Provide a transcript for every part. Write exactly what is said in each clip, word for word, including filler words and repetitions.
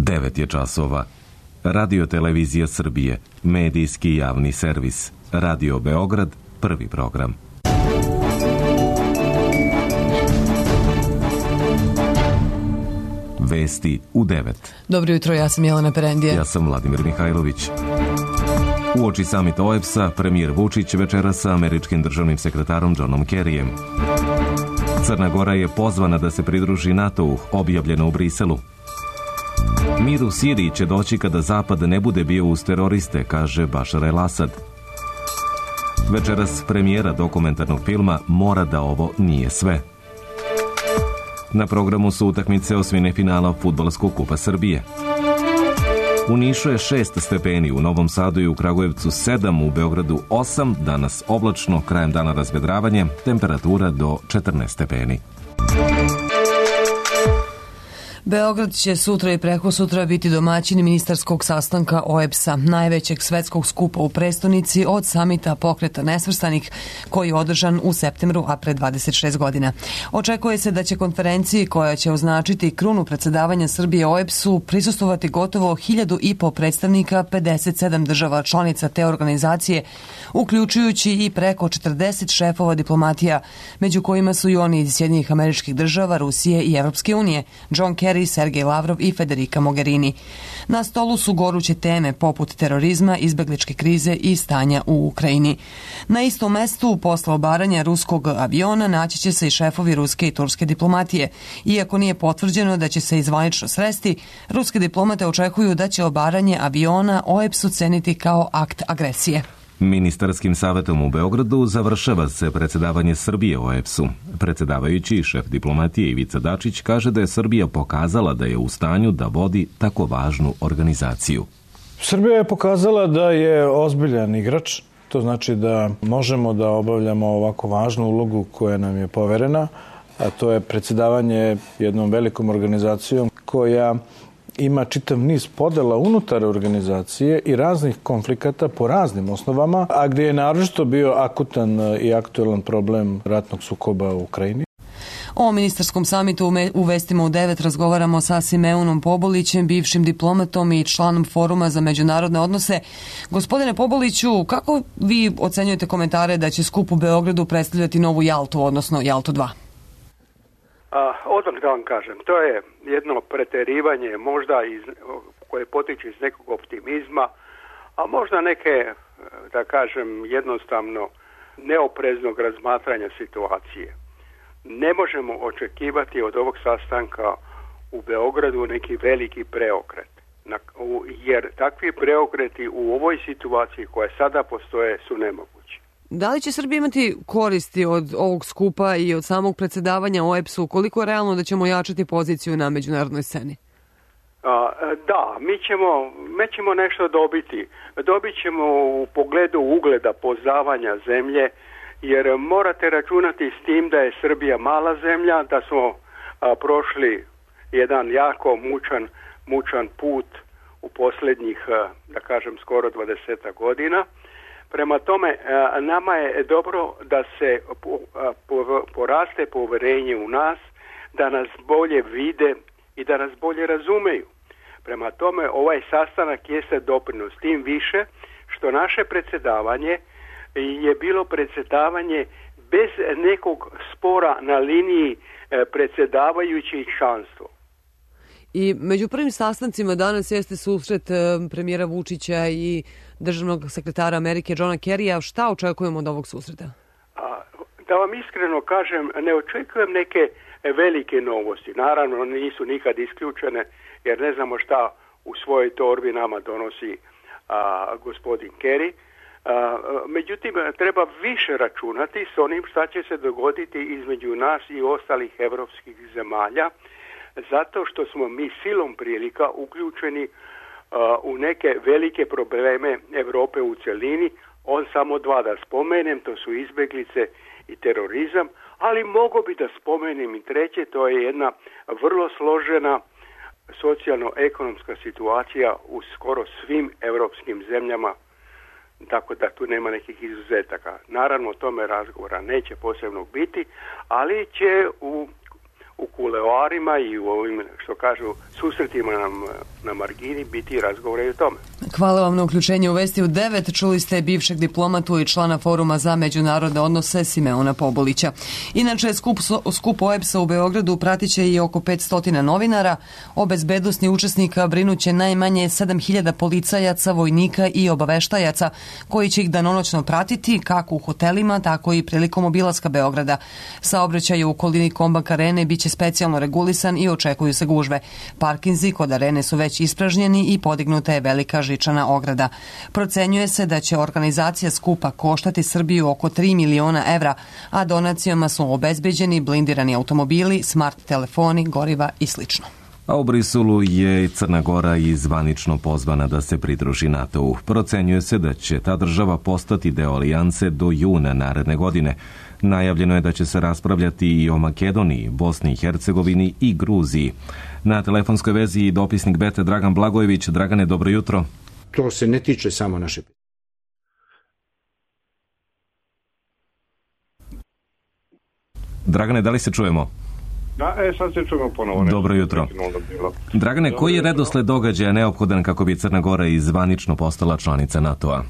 devet je časova. Radio Televizija Srbije, medijski javni servis. Radio Beograd, prvi program. Vesti u devet. Dobro jutro, ja sam Jelena Perendija. Ja sam Vladimir Mihajlović. Uoči samita O E B S-a, premijer Vučić večera sa američkim državnim sekretarom Johnom Kerryjem. Crna Gora je pozvana da se pridruži NATO-u, objavljeno u Briselu. Mir u Siriji će doći kada Zapad ne bude bio uz teroriste, kaže Bašar el-Asad. Večeras premijera dokumentarnog filma Mora da ovo nije sve. Na programu su utakmice osmine finala Fudbalskog kupa Srbije. U Nišu je šest stepeni, u Novom Sadu i u Kragujevcu sedam, u Beogradu osam, danas oblačno, krajem dana razvedravanje, temperatura do četrnaest stepeni. Beograd će sutra i preko sutra biti domaćin ministarskog sastanka O E B S-a, najvećeg svetskog skupa u prestonici od samita Pokreta nesvrstanih, koji je održan u septembru, a pre dvadeset šest godina. Očekuje se da će konferenciji, koja će označiti krunu predsedavanja Srbije O E B S-u, prisustvovati gotovo hiljadu i po predstavnika pedeset sedam država članica te organizacije, uključujući i preko četrdeset šefova diplomatija, među kojima su i oni iz Sjedinjenih Američkih Država, Rusije i Evropske unije, John Kerry, Sergej Lavrov i Federica Mogherini. Na stolu su goruće teme poput terorizma, izbegličke krize i stanja u Ukrajini. Na istom mestu, posle obaranja ruskog aviona, naći će se i šefovi ruske i turske diplomatije. Iako nije potvrđeno da će se izvanično sresti, ruske diplomate očekuju da će obaranje aviona O E B S ceniti kao akt agresije. Ministarskim savetom u Beogradu završava se predsedavanje Srbije O E B S-u. Predsedavajući šef diplomatije Ivica Dačić kaže da je Srbija pokazala da je u stanju da vodi tako važnu organizaciju. Srbija je pokazala da je ozbiljan igrač. To znači da možemo da obavljamo ovako važnu ulogu koja nam je poverena, a to je predsedavanje jednom velikom organizacijom koja ima čitav niz podela unutar organizacije i raznih konflikata po raznim osnovama, a gdje je naročito bio akutan i aktuelan problem ratnog sukoba u Ukrajini. O ministarskom samitu u Vestima u devet razgovaramo sa Simeunom Pobolićem, bivšim diplomatom i članom Foruma za međunarodne odnose. Gospodine Poboliću, kako vi ocenjujete komentare da će skup u Beogradu predstavljati novu Jaltu, odnosno Jaltu dva? A, odmah da vam kažem, to je jedno preterivanje možda iz, koje potiče iz nekog optimizma, a možda neke, da kažem, jednostavno neopreznog razmatranja situacije. Ne možemo očekivati od ovog sastanka u Beogradu neki veliki preokret, jer takvi preokreti u ovoj situaciji koja sada postoje su nemogući. Da li će Srbija imati koristi od ovog skupa i od samog predsedavanja O E B S-u? Koliko je realno da ćemo jačati poziciju na međunarodnoj sceni? A, da, mi ćemo, mi ćemo nešto dobiti. Dobit ćemo u pogledu ugleda poznavanja zemlje, jer morate računati s tim da je Srbija mala zemlja, da smo a, prošli jedan jako mučan, mučan put u posljednjih, a, da kažem, skoro dvadeset godina. Prema tome, nama je dobro da se poraste poverenje u nas, da nas bolje vide i da nas bolje razumeju. Prema tome, ovaj sastanak jeste doprinos, tim više što naše predsjedavanje je bilo predsjedavanje bez nekog spora na liniji predsjedavajući i članstvo. I među prvim sastancima danas jeste susret premijera Vučića i državnog sekretara Amerike Johna Kerryja. Šta očekujemo od ovog susreta? A, da vam iskreno kažem, ne očekujem neke velike novosti. Naravno, nisu nikad isključene, jer ne znamo šta u svojoj torbi nama donosi a, gospodin Kerry. A, međutim, treba više računati s onim šta će se dogoditi između nas i ostalih evropskih zemalja, zato što smo mi silom prilika uključeni uh, u neke velike probleme Europe u cjelini. On samo dva da spomenem, to su izbjeglice i terorizam, ali mogu bi da spomenem i treće, to je jedna vrlo složena socijalno-ekonomska situacija u skoro svim europskim zemljama, tako da tu nema nekih izuzetaka. Naravno, o tome razgovora neće posebno biti, ali će u, u kuloarima i u ovim, što kažu, susretima na, na margini biti razgovora i o tome. Hvala vam na uključenje u Vesti u devet. Čuli ste bivšeg diplomatu i člana Foruma za međunarodne odnose Simeona Pobulića. Inače, skup, skup O E B S-a u Beogradu pratiće i oko petsto novinara. O bezbednosti učesnika brinuće najmanje sedam hiljada policajaca, vojnika i obaveštajaca koji će ih danonoćno pratiti kako u hotelima, tako i prilikom obilaska Beograda. Saobraćaj u okolini Kombank arene biće specijalno regulisan i očekuju se gužve. Parkinzi kod arene su već ispražnjeni i podignuta je velika žičana ograda. Procenjuje se da će organizacija skupa koštati Srbiju oko tri miliona evra, a donacijama su obezbeđeni blindirani automobili, smart telefoni, goriva i slično. A u Briselu je Crna Gora i zvanično pozvana da se pridruži NATO-u. Procenjuje se da će ta država postati deo alijance do juna naredne godine. Najavljeno je da će se raspravljati i o Makedoniji, Bosni i Hercegovini i Gruziji. Na telefonskoj vezi i dopisnik Bete Dragan Blagojević. Dragane, dobro jutro. To se ne tiče samo naše. Dragane, da li se čujemo? Da, e, sad se čujemo ponovo. Dobro jutro. Dragane, Dobro koji je jutro. redosled događaja neophodan kako bi Crna Gora i zvanično postala članica NATO-a?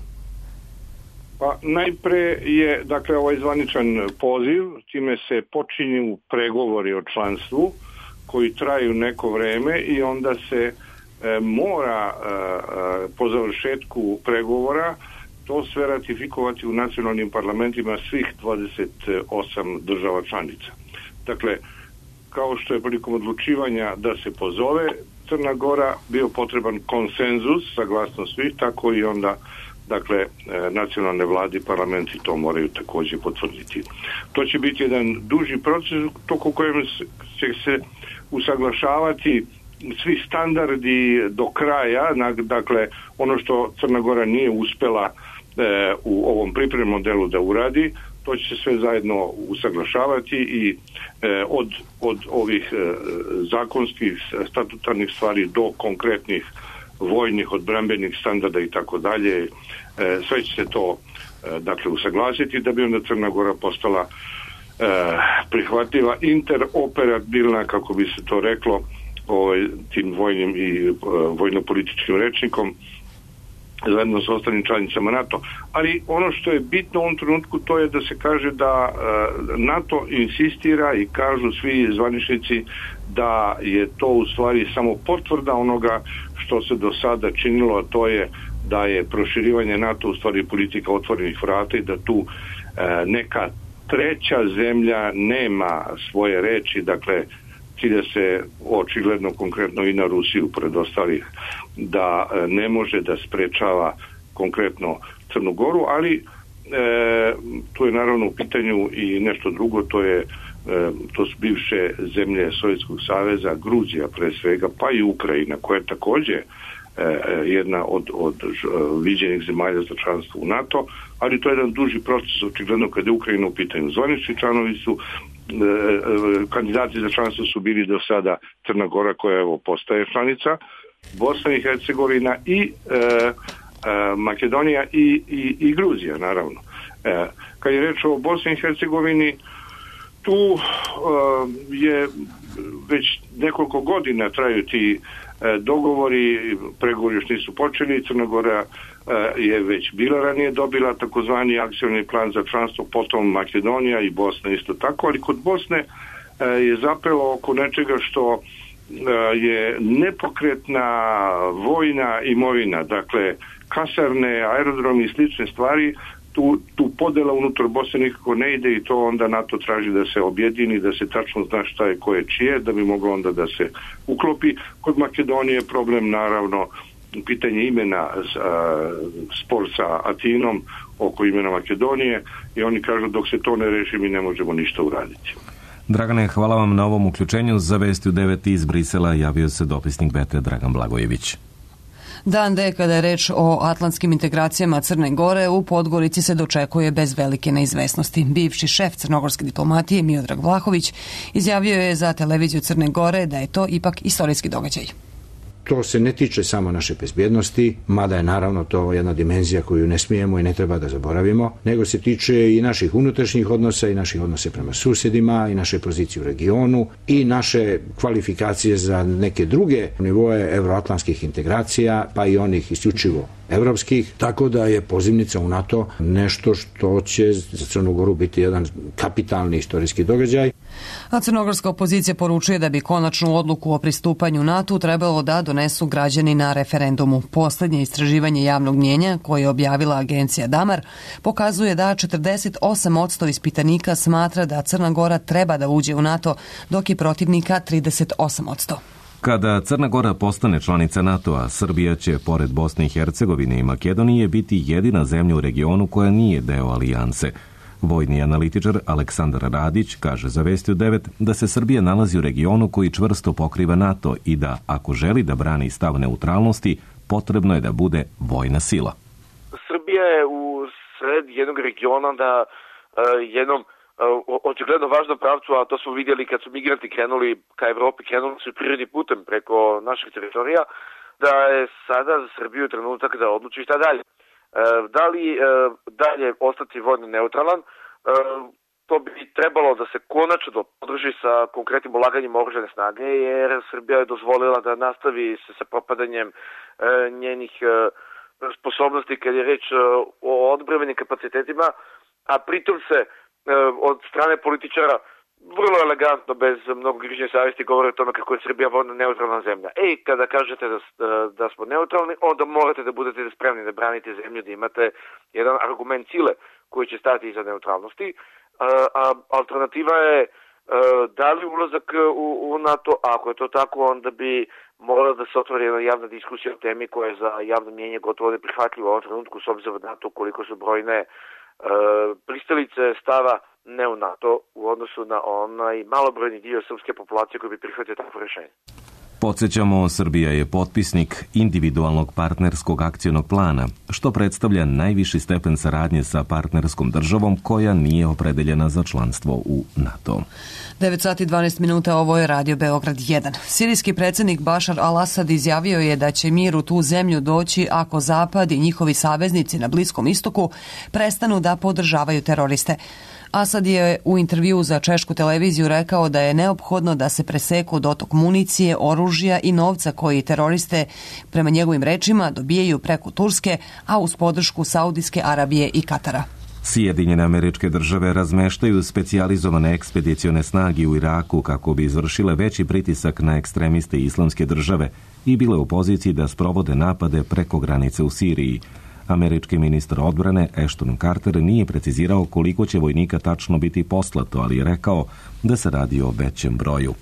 Pa najpre je, dakle, ovaj zvaničan poziv, time se počinju pregovori o članstvu koji traju neko vreme i onda se e, mora e, po završetku pregovora to sve ratifikovati u nacionalnim parlamentima svih dvadeset osam država članica. Dakle, kao što je prilikom odlučivanja da se pozove Crna Gora bio potreban konsenzus, saglasnost svih, tako i onda dakle, nacionalne vlade i parlamenti to moraju također potvrditi. To će biti jedan duži proces tokom kojem će se usaglašavati svi standardi do kraja, dakle, ono što Crna Gora nije uspela e, u ovom pripremnom delu da uradi, to će se sve zajedno usaglašavati i e, od, od ovih e, zakonskih statutarnih stvari do konkretnih vojnih, odbrambenih standarda i tako dalje, sve će se to e, dakle usaglasiti da bi onda Crna Gora postala e, prihvatljiva, interoperabilna, kako bi se to reklo, ovaj, tim vojnim i e, vojno-političkim rečnikom, zajedno sa ostalim članicama NATO. Ali ono što je bitno u ovom trenutku to je da se kaže da e, NATO insistira i kažu svi zvaničnici da je to u stvari samo potvrda onoga što se do sada činilo, a to je da je proširivanje NATO u stvari politika otvorenih vrata i da tu e, neka treća zemlja nema svoje reči, dakle cilja se očigledno konkretno i na Rusiju pored ostalih da e, ne može da sprečava konkretno Crnu Goru, ali e, tu je naravno u pitanju i nešto drugo, to je e, to su bivše zemlje Sovjetskog saveza, Gruzija pre svega, pa i Ukrajina, koja je također jedna od, od viđenih zemalja za članstvo u NATO, ali to je jedan duži proces, očigledno kada je Ukrajina u pitanju. Zvanični članovi su, e, kandidati za članstvo su bili do sada Crna Gora, koja evo postaje članica, Bosna i Hercegovina i e, e, Makedonija i, i, i Gruzija, naravno. E, kad je reč o Bosni i Hercegovini, tu e, je već nekoliko godina traju ti dogovori, pregovori još nisu počeli, Crna Gora je već bila ranije dobila takozvani akcioni plan za članstvo, potom Makedonija i Bosna isto tako, ali kod Bosne je zapelo oko nečega što je nepokretna vojna imovina, dakle kasarne, aerodromi i slične stvari. Tu, tu podela unutar Bosne nikako ne ide i to onda NATO traži da se objedini, da se tačno zna šta je koje čije, da bi moglo onda da se uklopi. Kod Makedonije je problem naravno pitanje imena, a, spor sa Atinom oko imena Makedonije i oni kažu dok se to ne reši mi ne možemo ništa uraditi. Dragane, hvala vam na ovom uključenju. Za Vesti u devet iz Brisela javio se dopisnik Bete Dragan Blagojević. Dan D, kada je reč o atlantskim integracijama Crne Gore, u Podgorici se dočekuje bez velike neizvesnosti. Bivši šef crnogorske diplomatije Miodrag Vlahović izjavio je za televiziju Crne Gore da je to ipak istorijski događaj. To se ne tiče samo naše bezbjednosti, mada je naravno to jedna dimenzija koju ne smijemo i ne treba da zaboravimo, nego se tiče i naših unutrašnjih odnosa i naših odnosa prema susjedima i naše pozicije u regionu i naše kvalifikacije za neke druge nivoe evroatlantskih integracija, pa i onih isključivo evropskih, tako da je pozivnica u NATO nešto što će za Crnu Goru biti jedan kapitalni istorijski događaj. A crnogorska opozicija poručuje da bi konačnu odluku o pristupanju NATO trebalo da donesu građani na referendumu. Poslednje istraživanje javnog mnjenja koje je objavila agencija Damar pokazuje da četrdeset osam posto ispitanika smatra da Crna Gora treba da uđe u NATO, dok je protivnika trideset osam posto. Kada Crna Gora postane članica NATO-a, Srbija će, pored Bosne i Hercegovine i Makedonije, biti jedina zemlja u regionu koja nije deo alijanse. Vojni analitičar Aleksandar Radić kaže za Vesti u devet da se Srbija nalazi u regionu koji čvrsto pokriva NATO i da, ako želi da brani stav neutralnosti, potrebno je da bude vojna sila. Srbija je u sred jednog regiona na uh, jednom očigledno važnom pravcu, a to smo vidjeli kad su migranti krenuli ka Evropi, krenuli su prirodnim putem preko naših teritorija, da je sada za Srbiju trenutak da odluči šta dalje. Da li dalje ostati vojno neutralan, to bi trebalo da se konačno podrži sa konkretnim ulaganjem oružane snage, jer Srbija je dozvolila da nastavi se sa propadanjem njenih sposobnosti kad je reč o odbrambenim kapacitetima, a pritom se od strane političara vrlo elegantno, bez mnogo grižnje savjesti, govore o tome kako je Srbija vojno neutralna zemlja. Ej, kada kažete da, da smo neutralni, onda morate da budete spremni da branite zemlju, da imate jedan argument sile koji će stati iza neutralnosti. A, a alternativa je a, da li ulazak u, u NATO, a ako je to tako, onda bi morala da se otvori jedna javna diskusija o temi koja je za javno mnjenje gotovo neprihvatljivo u ovom trenutku, s obzirom na to koliko su brojne pristalice stava ne u NATO u odnosu na onaj malobrojni dio srpske populacije koji bi prihvatio takvo rješenje. Podsjećamo, Srbija je potpisnik individualnog partnerskog akcionog plana, što predstavlja najviši stepen saradnje sa partnerskom državom koja nije opredeljena za članstvo u NATO. devet sati i dvanaest minuta, ovo je Radio Beograd jedan. Sirijski predsjednik Bašar al-Asad izjavio je da će mir u tu zemlju doći ako Zapad i njihovi saveznici na Bliskom istoku prestanu da podržavaju teroriste. Asad je u intervju za češku televiziju rekao da je neophodno da se preseku dotok municije, oružja i novca koji teroriste, prema njegovim rečima, dobijaju preko Turske, a uz podršku Saudijske Arabije i Katara. Sjedinjene Američke Države razmeštaju specijalizovane ekspedicione snage u Iraku kako bi izvršile veći pritisak na ekstremiste Islamske države i bile u poziciji da sprovode napade preko granice u Siriji. Američki ministar odbrane Ashton Carter nije precizirao koliko će vojnika tačno biti poslato, ali je rekao da se radi o većem broju.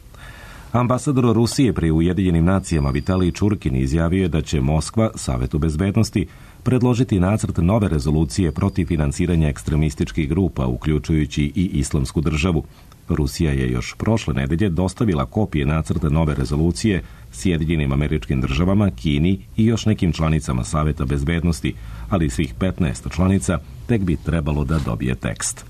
Ambasador Rusije pri Ujedinjenim nacijama Vitalij Čurkin izjavio je da će Moskva Savetu bezbednosti predložiti nacrt nove rezolucije protiv finansiranja ekstremističkih grupa, uključujući i Islamsku državu. Rusija je još prošle nedelje dostavila kopije nacrta nove rezolucije Sjedinjenim Američkim Državama, Kini i još nekim članicama Saveta bezbednosti, ali svih petnaest članica tek bi trebalo da dobije tekst.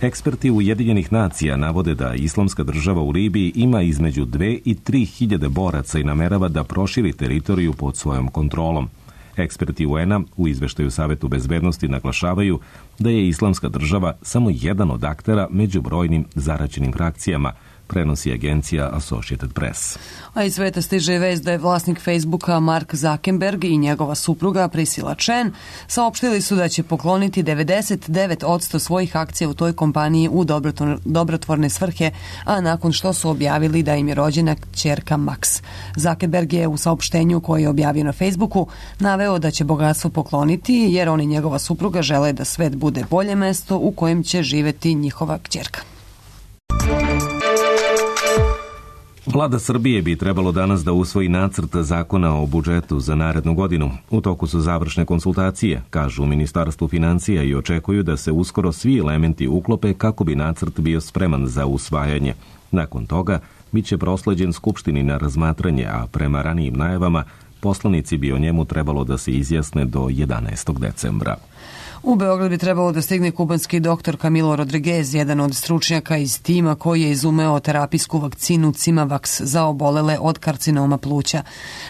Eksperti Ujedinjenih nacija navode da Islamska država u Libiji ima između dve i tri hiljade boraca i namerava da proširi teritoriju pod svojom kontrolom. Eksperti U N-a u izveštaju Savetu bezbednosti naglašavaju da je Islamska država samo jedan od aktera među brojnim zaraćenim frakcijama, prenosi agencija Associated Press. A iz sveta stiže vest da je vlasnik Facebooka Mark Zuckerberg i njegova supruga Priscilla Chen saopštili su da će pokloniti devedeset devet posto svojih akcija u toj kompaniji u dobrotvorne svrhe, a nakon što su objavili da im je rođena kćerka Max. Zuckerberg je u saopštenju koje je objavio na Facebooku naveo da će bogatstvo pokloniti jer on i njegova supruga žele da svet bude bolje mesto u kojem će živeti njihova kćerka. Vlada Srbije bi trebalo danas da usvoji nacrt zakona o budžetu za narednu godinu. U toku su završne konsultacije, kažu u Ministarstvu financija, i očekuju da se uskoro svi elementi uklope kako bi nacrt bio spreman za usvajanje. Nakon toga biće prosleđen Skupštini na razmatranje, a prema ranijim najavama poslanici bi o njemu trebalo da se izjasne do jedanaestog decembra. U Beograd bi trebalo da stigne kubanski doktor Camilo Rodriguez, jedan od stručnjaka iz tima koji je izumeo terapijsku vakcinu Cimavax za obolele od karcinoma pluća.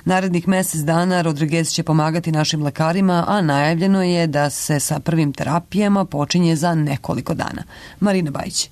Narednih mesec dana Rodriguez će pomagati našim lekarima, a najavljeno je da se sa prvim terapijama počinje za nekoliko dana. Marina Bajić.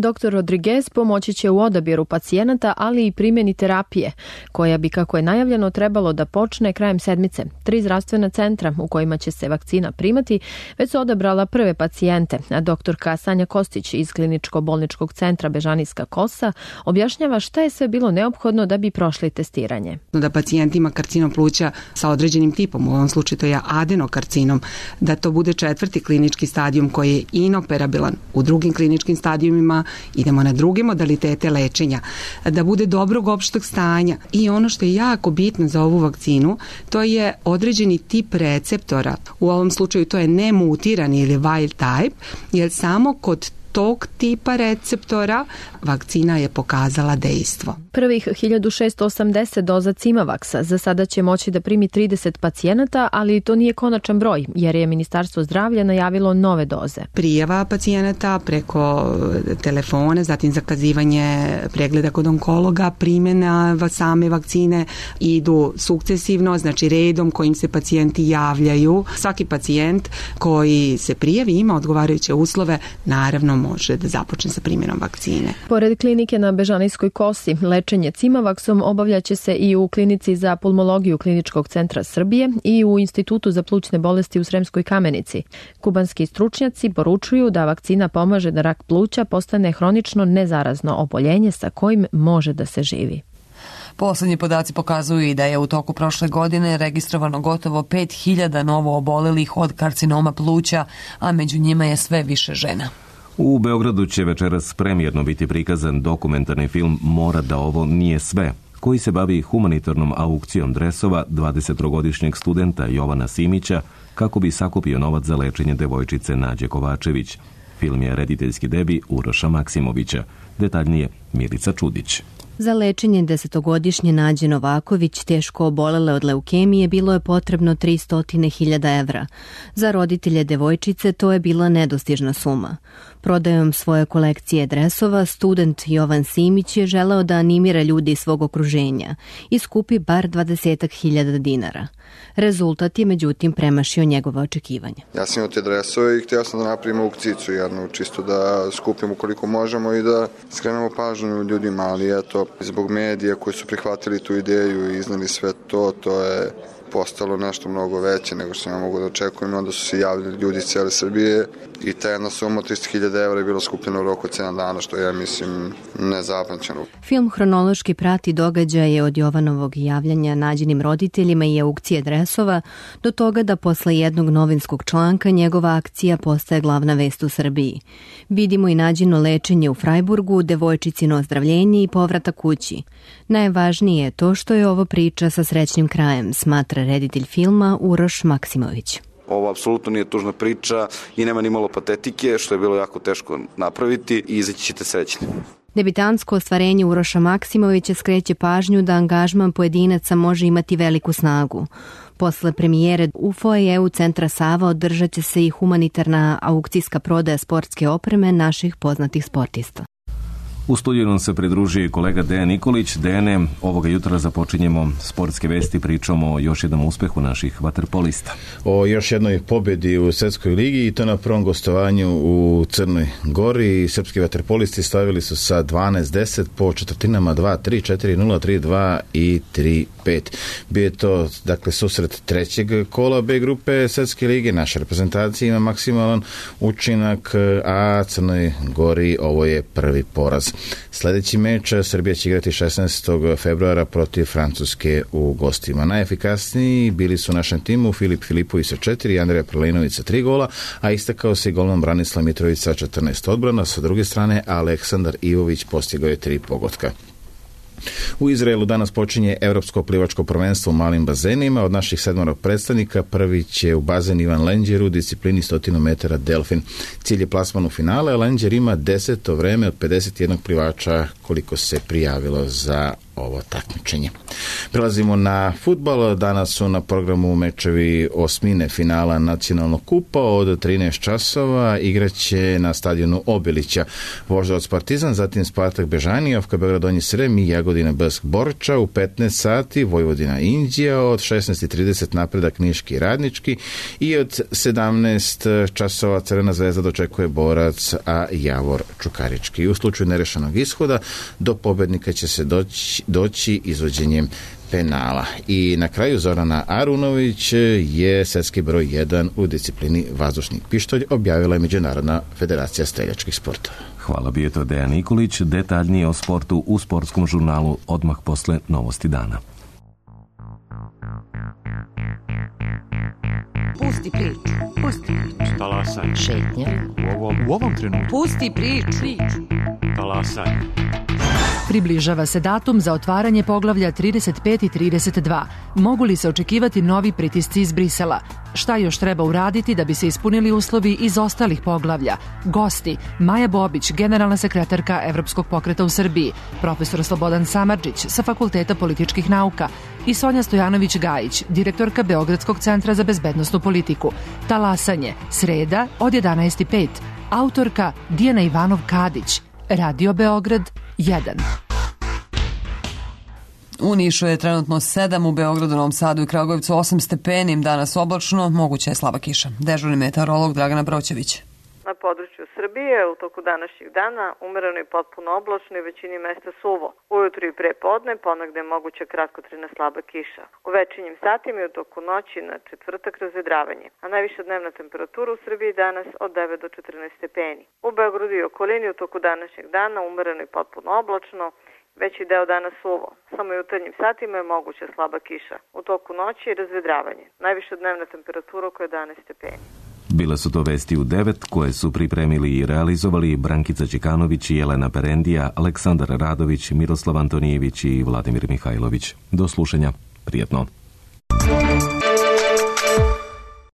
doktor Rodriguez pomoći će u odabiru pacijenata, ali i primjeni terapije, koja bi, kako je najavljeno, trebalo da počne krajem sedmice. Tri zdravstvena centra u kojima će se vakcina primati već su odabrala prve pacijente, a doktorka Sanja Kostić iz kliničko-bolničkog centra Bežanijska kosa objašnjava šta je sve bilo neophodno da bi prošli testiranje. Da pacijent ima karcinom pluća sa određenim tipom, u ovom slučaju to je adenokarcinom, da to bude četvrti klinički stadijum koji je inoperabilan. U drugim kliničkim stadijumima idemo na druge modalitete lečenja, da bude dobrog opštog stanja. I ono što je jako bitno za ovu vakcinu, to je određeni tip receptora. U ovom slučaju to je nemutirani ili wild type, jer samo kod tog tipa receptora vakcina je pokazala dejstvo. Prvih hiljadu šesto osamdeset doza Cimavaxa za sada će moći da primi trideset pacijenata, ali to nije konačan broj, jer je Ministarstvo zdravlja najavilo nove doze. Prijava pacijenata preko telefona, zatim zakazivanje pregleda kod onkologa, primjena same vakcine idu sukcesivno, znači redom kojim se pacijenti javljaju. Svaki pacijent koji se prijavi ima odgovarajuće uslove, naravno može da započne sa primjenom vakcine. Pored klinike na Bežanijskoj kosi, lečenje Cimavaxom obavljaće se i u klinici za pulmologiju Kliničkog centra Srbije i u Institutu za plućne bolesti u Sremskoj Kamenici. Kubanski stručnjaci poručuju da vakcina pomaže da rak pluća postane hronično nezarazno oboljenje sa kojim može da se živi. Poslednji podaci pokazuju i da je u toku prošle godine registrovano gotovo pet hiljada novo obolelih od karcinoma pluća, a među njima je sve više žena. U Beogradu će večeras premijerno biti prikazan dokumentarni film Mora da ovo nije sve, koji se bavi humanitarnom aukcijom dresova dvadesettrogodišnjeg studenta Jovana Simića kako bi sakupio novac za lečenje devojčice Nađe Kovačević. Film je rediteljski debi Uroša Maksimovića. Detaljnije Milica Čudić. Za lečenje desetogodišnje Nađe Novaković, teško obolele od leukemije, bilo je potrebno tristo hiljada evra. Za roditelje devojčice to je bila nedostižna suma. Prodajom svoje kolekcije dresova, student Jovan Simić je želeo da animira ljudi iz svog okruženja i skupi bar dvadeset hiljada dinara. Rezultat je međutim premašio njegove očekivanja. Ja sam imao te dresove i htio sam da napravimo aukcijicu jednu, čisto da skupimo koliko možemo i da skrenemo pažnju ljudima, ali eto, zbog medija koji su prihvatili tu ideju i iznali sve to, to je postalo nešto mnogo veće nego što ja mogu da očekujem. Onda su se javili ljudi iz cijele Srbije i ta jedna suma tristo hiljada evra je bilo skupljeno u roku od sedam dana, što je, mislim, nezapamćeno. Film hronološki prati događaje od Jovanovog javljanja Nađinim roditeljima i aukcije dresova do toga da posle jednog novinskog članka njegova akcija postaje glavna vest u Srbiji. Vidimo i Nađino lečenje u Frajburgu, devojčicino ozdravljenje i povrata kući. Najvažnije je to što je ovo priča sa srećnim krajem, smatra reditelj filma Uroš Maksimović. Ovo apsolutno nije tužna priča i nema ni malo patetike, što je bilo jako teško napraviti i izaći ćete srećni. Debitansko ostvarenje Uroša Maksimovića skreće pažnju da angažman pojedinaca može imati veliku snagu. Posle premijere u foajeu Centra Sava održat će se i humanitarna aukcijska prodaja sportske opreme naših poznatih sportista. U studiju nam se pridružio i kolega Dejan Nikolić. Dejane, ovoga jutra započinjemo sportske vesti, pričamo o još jednom uspehu naših vaterpolista. O još jednoj pobjedi u Svetskoj ligi i to na prvom gostovanju u Crnoj Gori. Srpski vaterpolisti stavili su sa dvanaest deset po četvrtinama dva tri, četiri nula, tri dva i tri pet. Bio je to, dakle, susret trećeg kola B grupe Svetske lige. Naša reprezentacija ima maksimalan učinak, a Crnoj Gori ovo je prvi poraz. Sljedeći meč Srbija će igrati šesnaestog februara protiv Francuske u gostima. Najefikasniji bili su u našem timu Filip Filipović sa četiri, Andreja Prelinović sa tri gola, a istakao se i golman Branislav Mitrović sa četrnaest odbrana. Sa druge strane, Aleksandar Ivović postigao je tri pogotka. U Izraelu danas počinje Evropsko plivačko prvenstvo u malim bazenima. Od naših sedmoro predstavnika prvi će u bazen Ivan Lenđer u disciplini sto metara delfin. Cilj je plasman u finale, a Lenđer ima deseto vreme od pedeset jedan plivača koliko se prijavilo za ovo takmičenje. Prelazimo na fudbal. Danas su na programu mečevi osmine finala nacionalnog kupa od trinaest časova. Igraće na stadionu Obilića Voždovac Partizan, zatim Spartak Bežani, Ofka Beograd Donji Srem i Jagodina Besk Borča. U petnaest sati Vojvodina Inđija, od šesnaest i trideset Napredak Niški i Radnički i od sedamnaest časova Crvena zvezda dočekuje Borac, a Javor Čukarički. U slučaju nerešenog ishoda do pobednika će se doći, doći izvođenjem penala. I na kraju Zorana Arunović je svetski broj jedan u disciplini vazdušni pištolj, objavila je Međunarodna federacija streljačkih sportova. Hvala, bio je to Dejan Nikolić. Detaljnije o sportu u sportskom žurnalu odmah posle Novosti dana. Pusti priču. Pusti priču. Talasaj. Šetnja. U ovom, u ovom trenutku. Pusti priču. priču. Talasaj. Približava se datum za otvaranje poglavlja trideset pet i trideset dva. Mogu li se očekivati novi pritisci iz Brisela? Šta još treba uraditi da bi se ispunili uslovi iz ostalih poglavlja? Gosti: Maja Bobić, generalna sekretarka Evropskog pokreta u Srbiji, profesor Slobodan Samardžić sa Fakulteta političkih nauka i Sonja Stojanović-Gajić, direktorka Beogradskog centra za bezbednosnu politiku. Talasanje, sreda od jedanaest i pet. Autorka Dijana Ivanov-Kadić. Radio Beograd jedan. U Nišu je trenutno sedam, u Beogradu, Novom Sadu i Kragujevcu osam stepeni, danas oblačno, moguća je slaba kiša. Dežurni meteorolog Dragana Broćević. Na području Srbije u toku današnjeg dana umereno i potpuno oblačno i većini mesta suvo. Ujutru i pre podne ponegde je moguća kratkotrajna slaba kiša. U večernjim satima i u toku noći na četvrtak razvedravanje, a najviša dnevna temperatura u Srbiji danas od devet do četrnaest stepeni. U Beogradu i okolini u toku današnjeg dana umereno i potpuno oblačno, veći deo dana suvo. Samo u jutarnjim satima je moguća slaba kiša. U toku noći je razvedravanje. Najviša dnevna temperatura oko jedanaest stepeni. Bile su to vesti u devet koje su pripremili i realizovali Brankica Đekanović, Jelena Perendija, Aleksandar Radović, Miroslav Antonijević i Vladimir Mihajlović. Do slušanja. Prijetno.